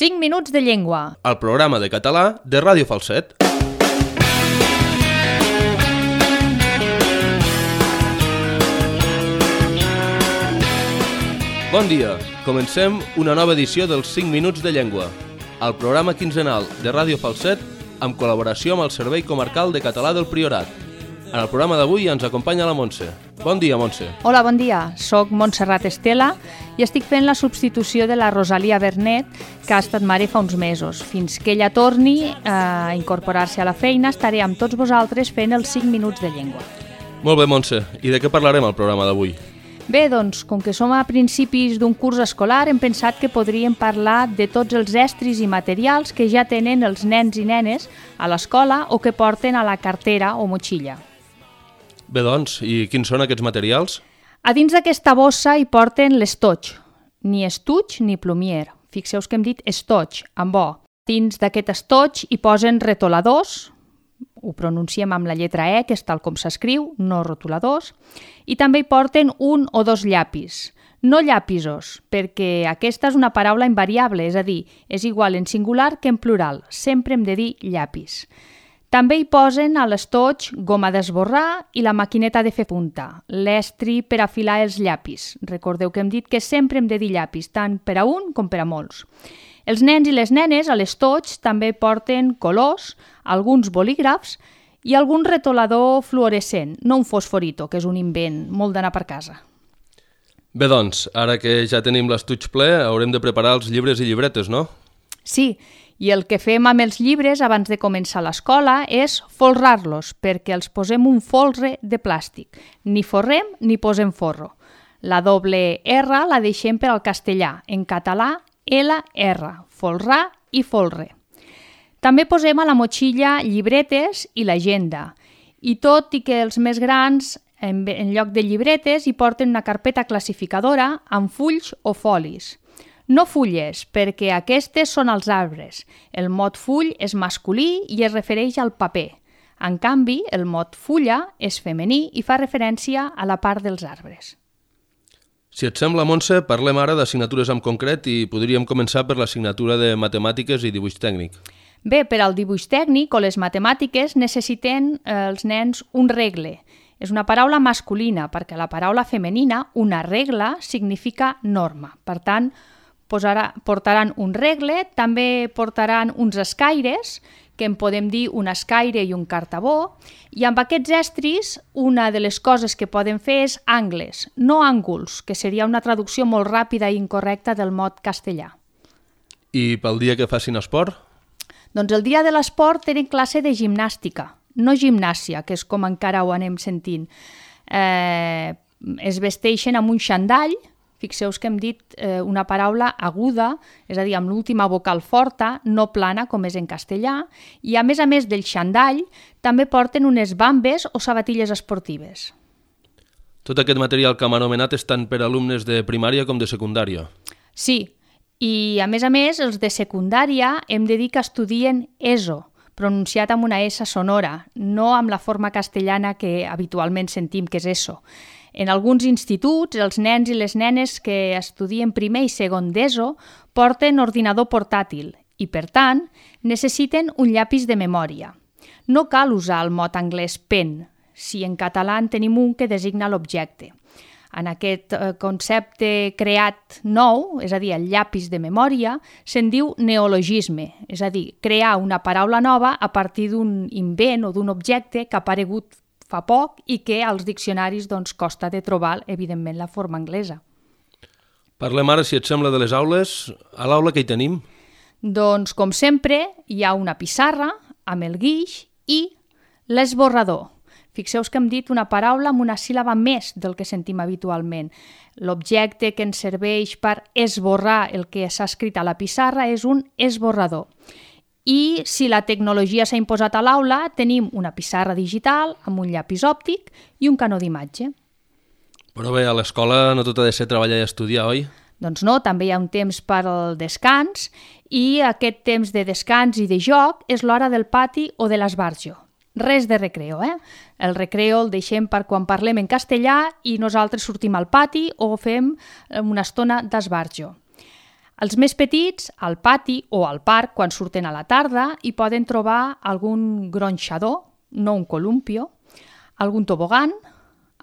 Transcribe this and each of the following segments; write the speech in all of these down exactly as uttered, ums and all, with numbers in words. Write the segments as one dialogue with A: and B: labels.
A: cinc minuts de llengua.
B: El programa de català de Ràdio Falset. Bon dia, comencem una nova edició dels cinc minuts de llengua, el programa quinzenal de Ràdio Falset amb col·laboració amb el Servei Comarcal de Català del Priorat. En el programa d'avui ens acompanya la Montse. Bon dia, Montse.
A: Hola, bon dia. Soc Montserrat Estela i estic fent la substitució de la Rosalia Bernet, que ha estat mare fa uns mesos. Fins que ella torni a incorporar-se a la feina, estaré amb tots vosaltres fent els cinc minuts de llengua.
B: Molt bé, Montse. I de què parlarem al programa d'avui?
A: Bé, doncs, com que som a principis d'un curs escolar, hem pensat que podríem parlar de tots els estris i materials que ja tenen els nens i nenes a l'escola o que porten a la cartera o motxilla.
B: Bé, doncs, i quins són aquests materials?
A: A dins d'aquesta bossa hi porten l'estoig, ni estuig ni plumier. Fixeu que hem dit estoig, amb o. Dins d'aquest estoig hi posen retoladors, ho pronunciem amb la lletra E, que és tal com s'escriu, no rotuladors, i també hi porten un o dos llapis. No llapisos, perquè aquesta és una paraula invariable, és a dir, és igual en singular que en plural. Sempre hem de dir llapis. També hi posen a l'estoig goma d'esborrar i la maquineta de fer punta, l'estri per afilar els llapis. Recordeu que hem dit que sempre hem de dir llapis, tant per a un com per a molts. Els nens i les nenes a l'estoig també porten colors, alguns bolígrafs i algun retolador fluorescent, no un fosforito, que és un invent molt d'anar per casa.
B: Bé, doncs, ara que ja tenim l'estuig ple, haurem de preparar els llibres i llibretes, no?
A: Sí, i el que fem amb els llibres abans de començar l'escola és folrar-los, perquè els posem un folre de plàstic. Ni forrem ni posem forro. La doble R la deixem per al castellà, en català L R, folrar i folre. També posem a la motxilla llibretes i l'agenda. I tot i que els més grans, en, en lloc de llibretes, hi porten una carpeta classificadora amb fulls o folis. No fulles, perquè aquestes són els arbres. El mot full és masculí i es refereix al paper. En canvi, el mot fulla és femení i fa referència a la part dels arbres.
B: Si et sembla, Montse, parlem ara d'assignatures en concret i podríem començar per l'assignatura de matemàtiques i dibuix tècnic.
A: Bé, per al dibuix tècnic o les matemàtiques necessiten eh, els nens un regle. És una paraula masculina, perquè la paraula femenina, una regla, significa norma. Per tant, posarà, portaran un regle, també portaran uns escaires, que en podem dir un escaire i un cartabó, i amb aquests estris una de les coses que poden fer és angles, no ànguls, que seria una traducció molt ràpida i incorrecta del mot castellà.
B: I pel dia que facin esport?
A: Doncs el dia de l'esport tenen classe de gimnàstica, no gimnàsia, que és com encara ho anem sentint. Eh, es vesteixen amb un xandall. Fixeu que hem dit eh, una paraula aguda, és a dir, amb l'última vocal forta, no plana, com és en castellà, i a més a més del xandall, també porten unes bambes o sabatilles esportives.
B: Tot aquest material que hem anomenat és tant per a alumnes de primària com de secundària.
A: Sí, i a més a més, els de secundària hem de dir que estudien ESO, pronunciat amb una S sonora, no amb la forma castellana que habitualment sentim que és ESO. En alguns instituts, els nens i les nenes que estudien primer i segon d'ESO porten ordinador portàtil i, per tant, necessiten un llapis de memòria. No cal usar el mot anglès pen, si en català en tenim un que designa l'objecte. En aquest concepte creat nou, és a dir, el llapis de memòria, se'n diu neologisme, és a dir, crear una paraula nova a partir d'un invent o d'un objecte que ha aparegut fa poc i que als diccionaris doncs, costa de trobar, evidentment, la forma anglesa.
B: Parlem ara, si et sembla, de les aules. A l'aula què hi tenim?
A: Doncs, com sempre, hi ha una pissarra amb el guix i l'esborrador. Fixeu que hem dit una paraula amb una síl·laba més del que sentim habitualment. L'objecte que ens serveix per esborrar el que s'ha escrit a la pissarra és un esborrador. I si la tecnologia s'ha imposat a l'aula, tenim una pissarra digital amb un llapis òptic i un canó d'imatge.
B: Però bé, a l'escola no tot ha de ser treballar i estudiar, oi?
A: Doncs no, també hi ha un temps per al descans i aquest temps de descans i de joc és l'hora del pati o de l'esbarjo. Res de recreo, eh? El recreo el deixem per quan parlem en castellà i nosaltres sortim al pati o fem una estona d'esbarjo. Els més petits, al pati o al parc, quan surten a la tarda, hi poden trobar algun gronxador, no un columpio, algun tobogan,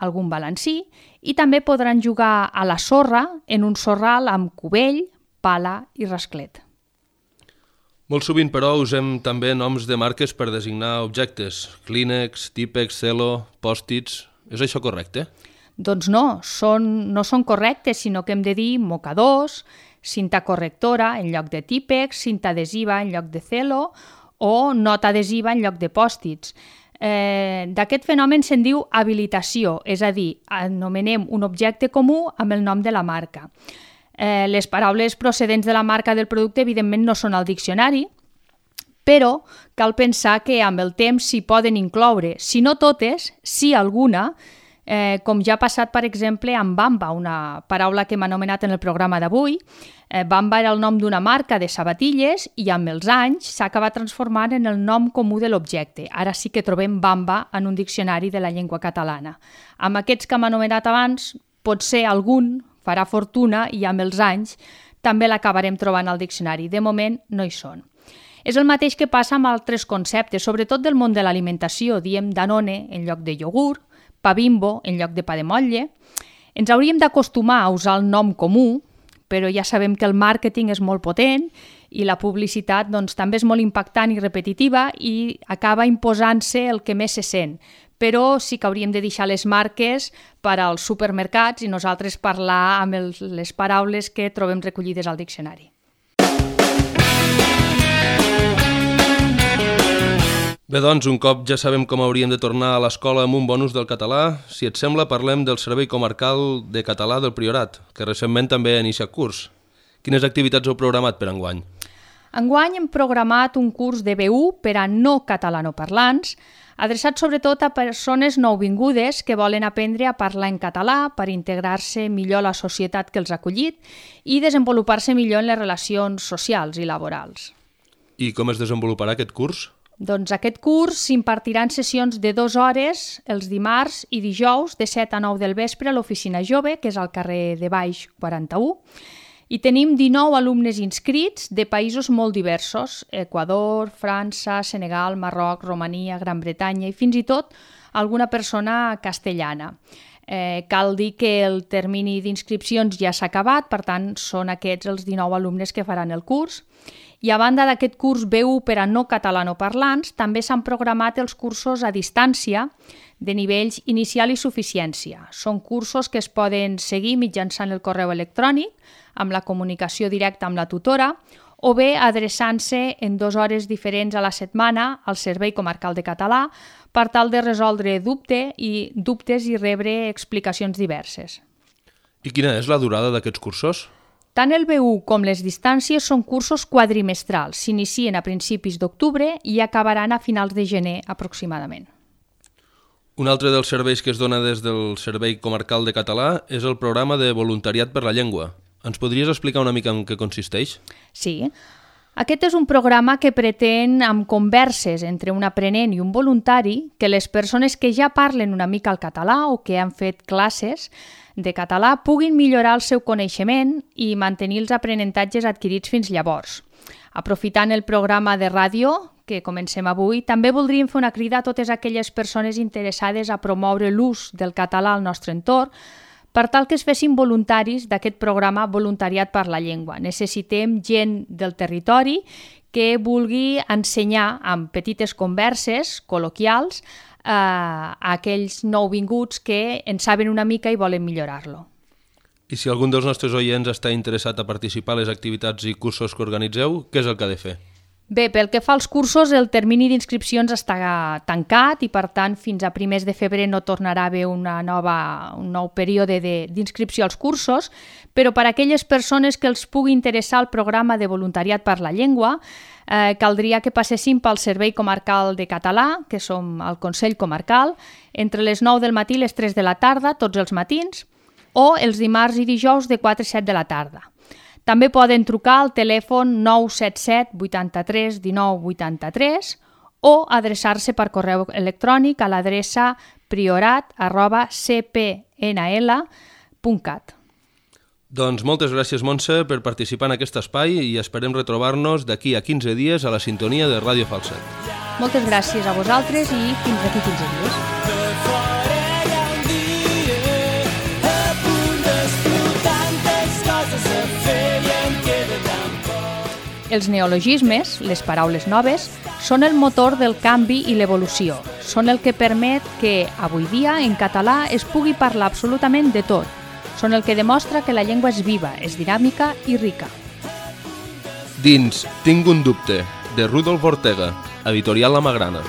A: algun balancí, i també podran jugar a la sorra en un sorral amb cubell, pala i rasclet.
B: Molt sovint, però, usem també noms de marques per designar objectes. Kleenex, Tipex, Cello, Post-its... És això correcte?
A: Doncs no, són, no són correctes, sinó que hem de dir mocadors, cinta correctora en lloc de Tipex, cinta adhesiva en lloc de Cello o nota adhesiva en lloc de Post-its. Eh, D'aquest fenomen se'n diu habilitació, és a dir, anomenem un objecte comú amb el nom de la marca. Eh, les paraules procedents de la marca del producte evidentment no són al diccionari, però cal pensar que amb el temps s'hi poden incloure, si no totes, si alguna, eh, com ja ha passat, per exemple, amb Bamba, una paraula que hem anomenat en el programa d'avui. Eh, Bamba era el nom d'una marca de sabatilles i amb els anys s'ha acabat transformant en el nom comú de l'objecte. Ara sí que trobem Bamba en un diccionari de la llengua catalana. Amb aquests que hem anomenat abans, potser algun farà fortuna i amb els anys també l'acabarem trobant al diccionari. De moment no hi són. És el mateix que passa amb altres conceptes, sobretot del món de l'alimentació. Diem Danone en lloc de iogurt, pa Bimbo en lloc de pa de motlle. Ens hauríem d'acostumar a usar el nom comú, però ja sabem que el màrqueting és molt potent i la publicitat doncs, també és molt impactant i repetitiva i acaba imposant-se el que més se sent. Però sí que hauríem de deixar les marques per als supermercats i nosaltres parlar amb el, les paraules que trobem recollides al diccionari.
B: Bé, doncs, un cop ja sabem com hauríem de tornar a l'escola amb un bonus del català, si et sembla parlem del Servei Comarcal de Català del Priorat, que recentment també ha iniciat curs. Quines activitats heu programat per enguany?
A: Enguany hem programat un curs de B u per a no catalanoparlants, adreçat sobretot a persones nouvingudes que volen aprendre a parlar en català per integrar-se millor a la societat que els ha acollit i desenvolupar-se millor en les relacions socials i laborals.
B: I com es desenvoluparà aquest curs?
A: Doncs aquest curs s'impartirà en sessions de dues hores els dimarts i dijous de set a nou del vespre a l'Oficina Jove, que és al carrer de Baix quaranta-u, i tenim dinou alumnes inscrits de països molt diversos, Equador, França, Senegal, Marroc, Romania, Gran Bretanya i fins i tot alguna persona castellana. Eh, cal dir que el termini d'inscripcions ja s'ha acabat, per tant són aquests els dinou alumnes que faran el curs. I a banda d'aquest curs B u per a no catalanoparlants, també s'han programat els cursos a distància de nivells inicial i suficiència. Són cursos que es poden seguir mitjançant el correu electrònic, amb la comunicació directa amb la tutora, o bé adreçant-se en dues hores diferents a la setmana al Servei Comarcal de Català per tal de resoldre dubte i, dubtes i rebre explicacions diverses.
B: I quina és la durada d'aquests cursos?
A: Tant el B u com les distàncies són cursos quadrimestrals, s'inicien a principis d'octubre i acabaran a finals de gener aproximadament.
B: Un altre dels serveis que es dona des del Servei Comarcal de Català és el programa de voluntariat per la llengua. Ens podries explicar una mica en què consisteix?
A: Sí. Aquest és un programa que pretén, amb converses entre un aprenent i un voluntari, que les persones que ja parlen una mica el català o que han fet classes de català puguin millorar el seu coneixement i mantenir els aprenentatges adquirits fins llavors. Aprofitant el programa de ràdio que comencem avui, també voldríem fer una crida a totes aquelles persones interessades a promoure l'ús del català al nostre entorn per tal que es fessin voluntaris d'aquest programa Voluntariat per la Llengua. Necessitem gent del territori que vulgui ensenyar amb petites converses col·loquials eh, a aquells nouvinguts que en saben una mica i volen millorar-lo.
B: I si algun dels nostres oients està interessat a participar a les activitats i cursos que organitzeu, què és el que ha de fer?
A: Bé, pel que fa als cursos, el termini d'inscripcions està tancat i, per tant, fins a primers de febrer no tornarà a haver una nova, un nou període d'inscripció als cursos, però per a aquelles persones que els pugui interessar el programa de voluntariat per la llengua, eh, caldria que passessin pel Servei Comarcal de Català, que som al Consell Comarcal, entre les nou del matí i les tres de la tarda, tots els matins, o els dimarts i dijous de quatre a set de la tarda. També poden trucar al telèfon nou set set vuitanta-tres dinou vuitanta-tres o adreçar-se per correu electrònic a l'adreça priorat arroba c p n l punt cat.
B: Doncs moltes gràcies, Montse, per participar en aquest espai i esperem retrobar-nos d'aquí a quinze dies a la sintonia de Ràdio Falset.
A: Moltes gràcies a vosaltres i fins d'aquí quinze dies. Els neologismes, les paraules noves, són el motor del canvi i l'evolució. Són el que permet que, avui dia, en català es pugui parlar absolutament de tot. Són el que demostra que la llengua és viva, és dinàmica i rica.
B: Dins Tinc un dubte, de Rudolf Ortega, editorial La Magrana.